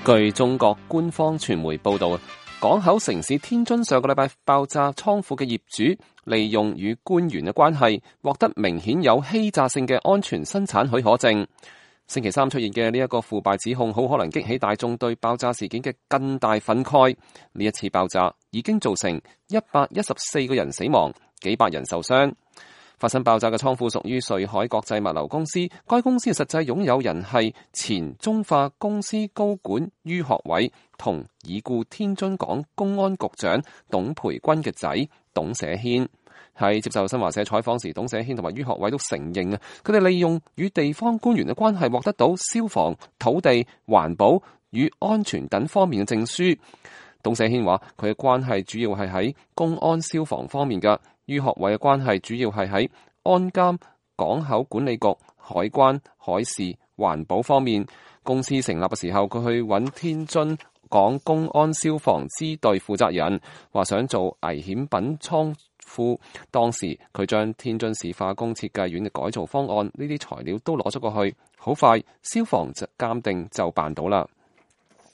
據中國官方傳媒報道，港口城市天津上個禮拜爆炸倉庫嘅業主，利用與官員嘅關係，獲得明顯有欺詐性嘅安全生產許可證。星期三出現嘅呢一個腐敗指控，好可能激起大眾對爆炸事件嘅更大憤慨。呢一次爆炸已經造成114個人死亡，幾百人受傷。發生爆炸嘅倉庫屬於瑞海國際物流公司，該公司嘅實際擁有人係前中化公司高管于學偉同已故天津港公安局長董培軍嘅仔董社軒。喺接受新華社採訪時，董社軒同埋于學偉都承認佢哋利用與地方官員嘅關係，獲得到消防、土地、環保與安全等方面嘅證書。董社軒話佢嘅關係主要係喺公安消防方面嘅。于學偉嘅關係主要係喺安監、港口管理局、海關、海事、環保方面。公司成立嘅時候，佢去揾天津港公安消防支隊負責人，話想做危險品倉庫。當時佢將天津市化工設計院嘅改造方案呢啲材料都攞咗過去，好快消防就鑑定就辦到啦。